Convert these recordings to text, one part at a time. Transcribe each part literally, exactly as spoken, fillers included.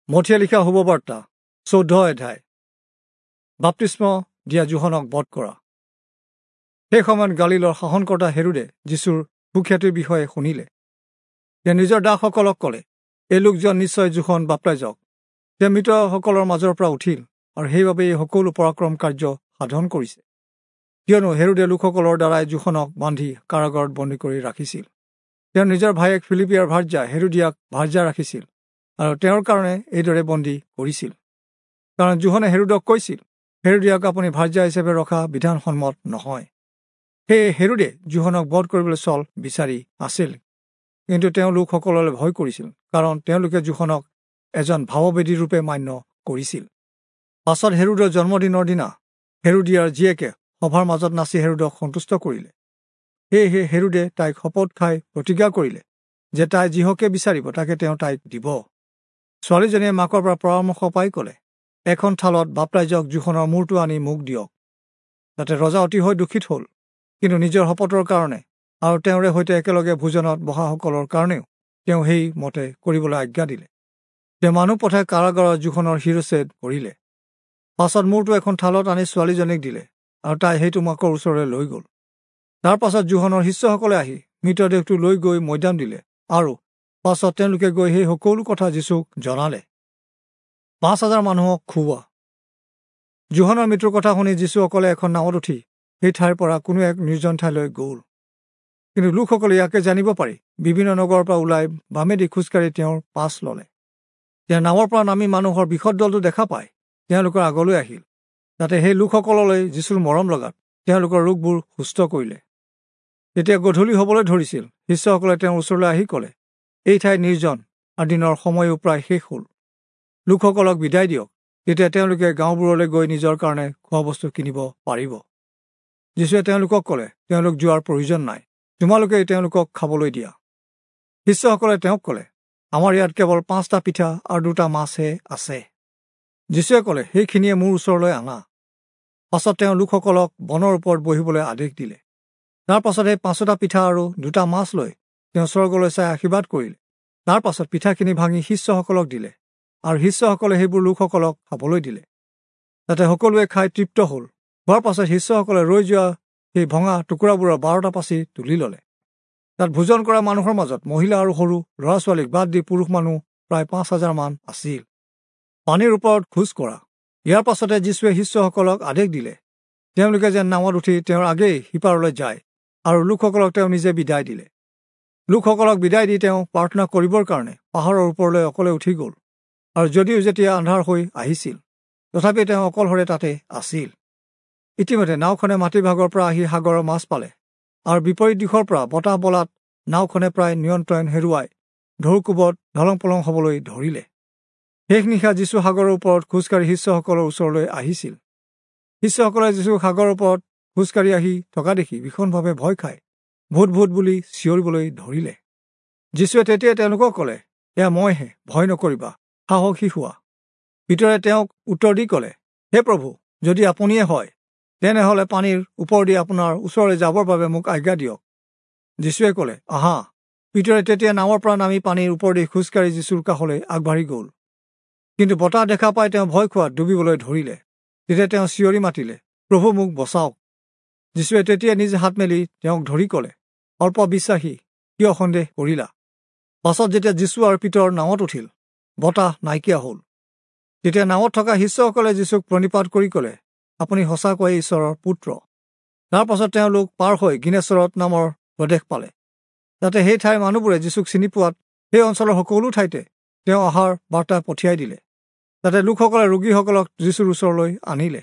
মথিয়ে লিখা শুভবাৰ্তা চৈধ্য অধ্যায়। বাপ্তিস্ম দিয়া যোহনক বধ কৰা। সেই সময়ত গালিলৰ শাসনকৰ্তা হেৰোদে যীশুৰ সুখ্যাতিৰ বিষয়ে শুনিলে। তেওঁ নিজৰ দাসসকলক ক'লে, এই লোকজন নিশ্চয় যোহন বাপ্তাইজক। তেওঁ মৃতসকলৰ মাজৰ পৰা উঠিল আৰু সেইবাবে এই সকলো পৰাক্ৰম কাৰ্য সাধন কৰিছে। কিয়নো হেৰোদে লোকসকলৰ দ্বাৰাই যোহনক বান্ধি কাৰাগাৰত বন্দী কৰি ৰাখিছিল। তেওঁ নিজৰ ভায়েক ফিলিপিয়াৰ ভাৰ্যা হেৰোদিয়াক ভাৰ্যা ৰাখিছিল আৰু তেওঁৰ কাৰণে এইদৰে বন্দী কৰিছিল। কাৰণ যোহনে হেৰোদক কৈছিল, হেৰোদিয়াক আপুনি ভাৰ্যা হিচাপে ৰখা বিধানসন্মত নহয়। সেয়ে হেৰোদে যোহনক বধ কৰিবলৈ চল বিচাৰি আছিল, কিন্তু তেওঁ লোকসকললৈ ভয় কৰিছিল, কাৰণ তেওঁলোকে যোহনক এজন ভাৱবেদী ৰূপে মান্য কৰিছিল। পাছত হেৰোদৰ জন্মদিনৰ দিনা হেৰোদিয়াৰ জীয়েকে সভাৰ মাজত নাচি হেৰোদক সন্তুষ্ট কৰিলে। সেয়েহে হেৰোদে তাইক শপত খাই প্ৰতিজ্ঞা কৰিলে যে তাই যিহকে বিচাৰিব তাকে তেওঁ তাইক দিব। ছোৱালীজনীয়ে মাকৰ পৰা পৰামৰ্শ পাই ক'লে, এখন থালত বাপ্তাইজক যোহনৰ মূৰটো আনি মোক দিয়ক। তাতে ৰজা অতিশয় দুখিত হ'ল, কিন্তু নিজৰ শপতৰ কাৰণে আৰু তেওঁৰে সৈতে একেলগে ভোজনত বহাসকলৰ কাৰণেও তেওঁ সেই মতে কৰিবলৈ আজ্ঞা দিলে। তেওঁ মানুহ পঠাই কাৰাগাৰত যোহনৰ শিৰচ্ছেদ কৰিলে। পাছত মূৰটো এখন থালত আনি ছোৱালীজনীক দিলে আৰু তাই সেইটো মাকৰ ওচৰলৈ লৈ গ'ল। তাৰ পাছত যোহনৰ শিষ্যসকলে আহি মৃতদেহটো লৈ গৈ মৈদাম দিলে আৰু পাছত তেওঁলোকে গৈ সেই সকলো কথা যীশুক জনালে। পাঁচ হাজাৰ মানুহক খুওৱা। যোহনৰ মৃত্যুৰ কথা শুনি যীশুসকলে এখন নাৱত উঠি সেই ঠাইৰ পৰা কোনো এক নিৰ্জন ঠাইলৈ গ'ল। কিন্তু লোকসকলে ইয়াকে জানিব পাৰি বিভিন্ন নগৰৰ পৰা ওলাই বামেদি খোজকাঢ়ি তেওঁৰ পাছ ল'লে। তেওঁ নাৱৰ পৰা নামি মানুহৰ বৃহৎ দলটো দেখা পাই তেওঁলোকৰ আগলৈ আহিল। তাতে সেই লোকসকললৈ যীশুৰ মৰম লগাত তেওঁলোকৰ ৰোগবোৰ সুস্থ কৰিলে। তেতিয়া গধূলি হ'বলৈ ধৰিছিল। শিষ্যসকলে তেওঁৰ ওচৰলৈ আহি ক'লে, এই ঠাই নিৰ্জন আৰু দিনৰ সময়ো প্ৰায় শেষ হ'ল। লোকসকলক বিদায় দিয়ক, তেতিয়া তেওঁলোকে গাঁওবোৰলৈ গৈ নিজৰ কাৰণে খোৱা বস্তু কিনিব পাৰিব। যীশুৱে তেওঁলোকক ক'লে, তেওঁলোক যোৱাৰ প্ৰয়োজন নাই, তোমালোকে তেওঁলোকক খাবলৈ দিয়া। শিষ্যসকলে তেওঁক ক'লে, আমাৰ ইয়াত কেৱল পাঁচটা পিঠা আৰু দুটা মাছহে আছে। যীশুৱে ক'লে, সেইখিনিয়ে মোৰ ওচৰলৈ আনা। পাছত তেওঁ লোকসকলক বনৰ ওপৰত বহিবলৈ আদেশ দিলে। তাৰ পাছত সেই পাঁচোটা পিঠা আৰু দুটা মাছ লৈ তেওঁ স্বৰ্গলৈ চাই আশীৰ্বাদ কৰিলে। তাৰ পাছত পিঠাখিনি ভাঙি শিষ্যসকলক দিলে আৰু শিষ্যসকলে সেইবোৰ লোকসকলক খাবলৈ দিলে। তাতে সকলোৱে খাই তৃপ্ত হ'ল। হোৱাৰ পাছত শিষ্যসকলে ৰৈ যোৱা সেই ভঙা টুকুৰাবোৰৰ বাৰটা পাচি তুলি ল'লে। তাত ভোজন কৰা মানুহৰ মাজত মহিলা আৰু সৰু ল'ৰা ছোৱালীক বাদ দি পুৰুষ মানুহ প্ৰায় পাঁচ হাজাৰমান আছিল। পানীৰ ওপৰত খোজ কৰা। ইয়াৰ পাছতে যীশুৱে শিষ্যসকলক আদেশ দিলে, তেওঁলোকে যেন নাৱত উঠি তেওঁৰ আগেই সিপাৰলৈ যায় আৰু লোকসকলক তেওঁ নিজে বিদায় দিলে। লোকসকলক বিদায় দি তেওঁ প্ৰাৰ্থনা কৰিবৰ কাৰণে পাহাৰৰ ওপৰলৈ অকলে উঠি গ'ল। আৰু যদিও যেতিয়া আন্ধাৰ হৈ আহিছিল, তথাপি তেওঁ অকলশৰে তাতে আছিল। ইতিমধ্যে নাওখনে মাটিভাগৰ পৰা আহি সাগৰৰ মাছ পালে আৰু বিপৰীত দিশৰ পৰা বতাহ বলাত নাওখনে প্ৰায় নিয়ন্ত্ৰণ হেৰুৱাই ঢৌকোবত ঢলং পলং হ'বলৈ ধৰিলে। শেষ নিশা যীশু সাগৰৰ ওপৰত খোজকাঢ়ি শিষ্যসকলৰ ওচৰলৈ আহিছিল। শিষ্যসকলে যীশুক সাগৰৰ ওপৰত খোজকাঢ়ি আহি থকা দেখি ভীষণভাৱে ভয় খাই ভূত ভূত বুলি চিঞৰিবলৈ ধৰিলে। যীশুৱে তেতিয়া তেওঁলোকক ক'লে, এয়া মইহে, ভয় নকৰিবা, সাহসী হোৱা। পিতৰে তেওঁক উত্তৰ দি ক'লে, হে প্ৰভু, যদি আপুনিয়ে হয়, তেনেহ'লে পানীৰ ওপৰেদি আপোনাৰ ওচৰলৈ যাবৰ বাবে মোক আজ্ঞা দিয়ক। যীশুৱে ক'লে, আহা। পিতৰে তেতিয়া নাৱৰ পৰা নামি পানীৰ ওপৰেদি খোজকাঢ়ি যীশুৰ কাষলৈ আগবাঢ়ি গ'ল। কিন্তু বতাহ দেখা পাই তেওঁ ভয় খোৱাত ডুবিবলৈ ধৰিলে। তেতিয়া তেওঁ চিঞৰি মাতিলে, প্ৰভু, মোক বচাওক। যীশুৱে তেতিয়া নিজ হাত মেলি তেওঁক ধৰি ক'লে, অল্প বিশ্বাসী, কিয় সন্দেহ কৰিলা? পাছত যেতিয়া যীশু আৰু পিতৰ নাৱত উঠিল, বতাহ নাইকিয়া হ'ল। তেতিয়া নাৱত থকা শিষ্যসকলে যীশুক প্ৰণিপাত কৰি ক'লে, আপুনি সঁচাকৈয়ে ঈশ্বৰৰ পুত্ৰ। তাৰ পাছত তেওঁলোক পাৰ হৈ গিনেচৰত নামৰ প্ৰদেশ পালে। তাতে সেই ঠাইৰ মানুহবোৰে যীশুক চিনি পোৱাত সেই অঞ্চলৰ সকলো ঠাইতে তেওঁ অহাৰ বাৰ্তা পঠিয়াই দিলে। তাতে লোকসকলে ৰোগীসকলক যীশুৰ ওচৰলৈ আনিলে।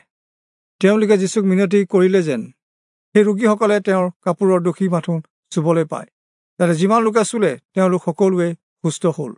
তেওঁলোকে যীশুক মিনতি কৰিলে যেন সেই ৰোগীসকলে তেওঁৰ কাপোৰৰ দোষী মাথোন চুবলৈ পায়। তাতে যিমান লোকে চুলে তেওঁলোক সকলোৱে সুস্থ হ'ল।